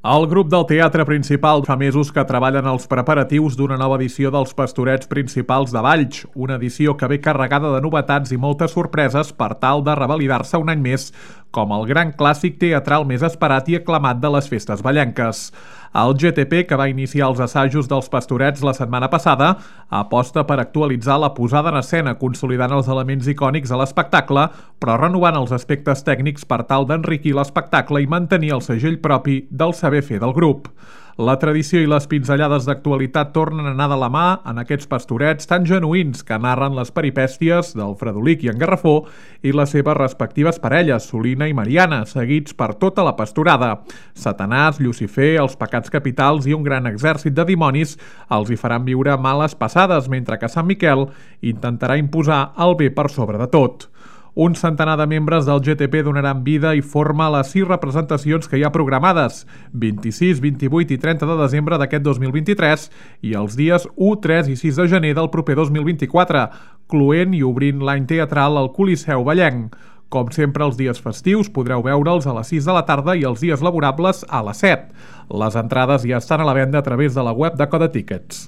El grup del Teatre Principal fa mesos que treballen els preparatius d'una nova edició dels Pastorets Principals de Valls, una edició que ve carregada de novetats i moltes sorpreses per tal de revalidar-se un any més com el gran clàssic teatral més esperat i aclamat de les festes vallenques. El GTP, que va iniciar els assajos dels Pastorets la setmana passada, aposta per actualitzar la posada en escena, consolidant els elements icònics a l'espectacle, però renovant els aspectes tècnics per tal d'enriquir l'espectacle i mantenir el segell propi del saber fer del grup. La tradició i les pinzellades d'actualitat tornen a anar de la mà en aquests pastorets tan genuïns que narren les peripècies del Fredolic i en Garrafó i les seves respectives parelles, Solina i Mariana, seguits per tota la pastorada. Satanàs, Llucifer, els pecats capitals i un gran exèrcit de dimonis els hi faran viure males passades, mentre que Sant Miquel intentarà imposar el bé per sobre de tot. Un centenar de membres del GTP donaran vida i forma a les 6 representacions que hi ha programades, 26, 28 i 30 de desembre d'aquest 2023 i els dies 1, 3 i 6 de gener del proper 2024, cloent i obrint l'any teatral al Coliseu Vallenc. Com sempre, els dies festius podreu veure'ls a les 6 de la tarda i els dies laborables a les 7. Les entrades ja estan a la venda a través de la web de Codetickets.